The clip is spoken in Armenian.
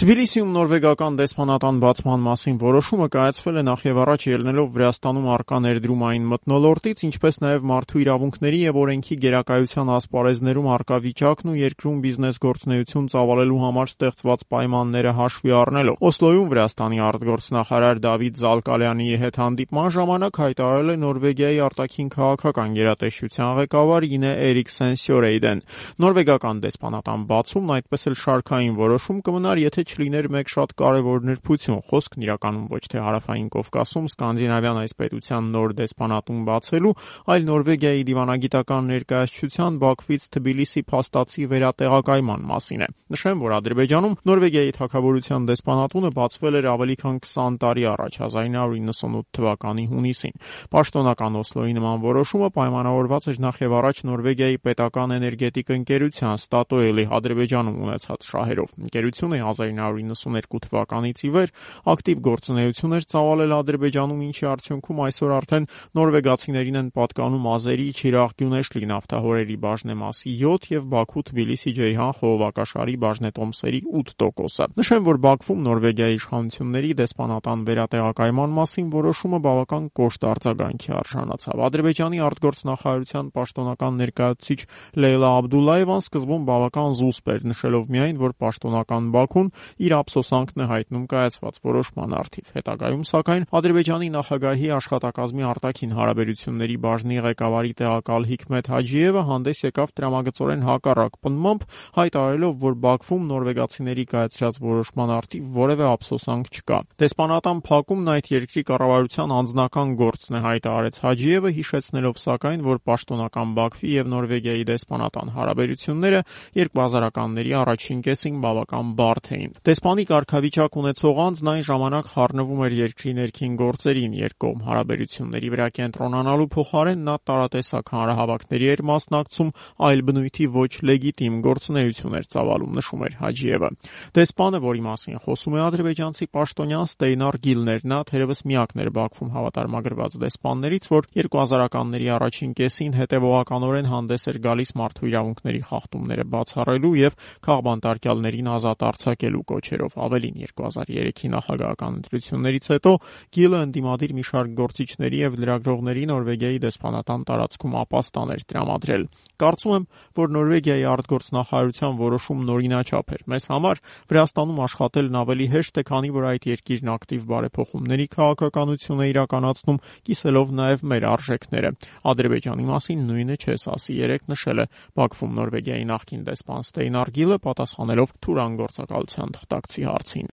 Թբիլիսիում նորվեգական դեսպանատան բացման մասին որոշումը կայացվել է նախ եւ առաջ ելնելով Վրաստանում առկա ներդրումային մթնոլորտից, ինչպես նաեւ մարդու իրավունքների եւ օրենքի գերակայության ասպարեզներում առկա վիճակն ու երկրում բիզնես գործունեություն ծավալելու համար ստեղծված պայմանները հաշվի առնելով։ Օսլոյում Վրաստանի արտգործնախարար Դավիթ Զալկալյանի հետ հանդիպման ժամանակ հայտարարել է Նորվեգիայի արտաքին քաղաքական գերատեսչության ղեկավար Ինե Էրիկսեն Սյորեյդեն։ Նորվեգական դեսպանատան բացումն այդպես էլ շարքային որոշում կմնար, եթե չլիներ մեկ շատ կարևոր նրբություն, խոսքն իրականում ոչ թե Հարավային Կովկասում սկանդինավյան այս պետության նոր դեսպանատուն բացելու, այլ Նորվեգիայի դիվանագիտական ներկայացչության Բաքվից Թբիլիսի փաստացի վերատեղակայման մասին է։ Նշեմ, որ Ադրբեջանում Նորվեգիայի թագավորության դեսպանատունը բացվել էր ավելի քան 20 տարի առաջ, 1998 թվականի հունիսին։ Պաշտոնական Օսլոյի նման որոշումը պայմանավորված էր նախ եւ առաջ Նորվեգիայի պետական էներգետիկ ընկերության Ստատոյելի Ադրբեջանում ունեցած շահերով։ Ընկերությունը 1992 թվականից ի վեր ակտիվ գործունեություն էր ծավալել Ադրբեջանում, ինչի արդյունքում այսօր արդեն նորվեգացիներին են պատկանում Ազերի, Չիրաղ, Գյունեշլի նավթահորերի բաժնեմասի 7 եւ Բաքու-Թբիլիսի-Ջեյհան խողովակաշարի բաժնետոմսերի 8%-ը։ Նշեմ, որ Բաքվում Նորվեգիայի իշխանությունների դեսպանատան վերատեղակայման մասին որոշումը բավական կոշտ արձագանքի արժանացավ։ Ադրբեջանի արտգործնախարարության պաշտոնական ներկայացուցիչ Լեյլա Աբդուլլաևան սկզբում բավական զուսպ էր, նշելով միայն, որ պաշտոնական Բաքուն իր ափսոսանքն է հայտնում կայացված որոշման առթիվ։ Հետագայում, սակայն, Ադրբեջանի նախագահի աշխատակազմի արտաքին հարաբերությունների բաժնի ղեկավարի տեղակալ Հիկմեթ Հաջիևը հանդես եկավ տրամագծորեն հակառակ պնդմամբ, հայտարարելով, որ Բաքվում նորվեգացիների կայացրած որոշման առթիվ որևէ ափսոսանք չկա։ Դեսպանատան փակումն այդ երկրի կառավարության անձնական գործն է, հայտարարեց Հաջիևը, հիշեցնելով սակայն, որ պաշտոնական Բաքվի եւ Նորվեգիայի դեսպանատան հարաբերությունները 2000-ականների առաջին կեսին բավական բարդ էին։ Դեսպանի կարգավիճակ ունեցող անձն այն ժամանակ խառնվում էր երկրի ներքին գործերին, երկկողմ հարաբերությունների վրա կենտրոնանալու փոխարեն նա տարատեսակ հանրահավաքների էր մասնակցում, այլ բնույթի ոչ լեգիտիմ գործունեություն էր ծավալում, նշում էր Հաջիևը։ Դեսպանը, որի մասին խոսում է ադրբեջանցի պաշտոնյան Ստեյնար Գիլներ, նա թերևս միակն էր Բաքվում հավատարմագրված դեսպաններից, որ 2000-ականների առաջին կեսին հետևողականորեն հանդես էր գալիս մարդու իրավունքների խախտումները բացառելու եւ քաղբանտարկյալներին ազատ արձակելու կոչերով։ Ավելին, 2003-ի նախագահական ընտրություններից հետո Գիլը ընդդիմադիր մի շարք գործիչների եւ լրագրողների Նորվեգիայի դեսպանատան տարածքում ապաստան էր տրամադրել։ Կարծում եմ, որ Նորվեգիայի արտգործնախարարության որոշումն օրինաչափ էր։ Մեզ համար Վրաստանում աշխատելն ավելի հեշտ է, քանի որ այդ երկիրն ակտիվ բարեփոխումների քաղաքականություն է իրականացնում, կիսելով նաեւ մեր արժեքները։ Ադրբեջանի մասին նույնը չես ասի, երեք նշել է Բաքվում Նորվեգիայի նախկին դեսպան Ստեյնար Գիլը, պատասխանելով Թուրան գործակալության թղթակցի հարցին։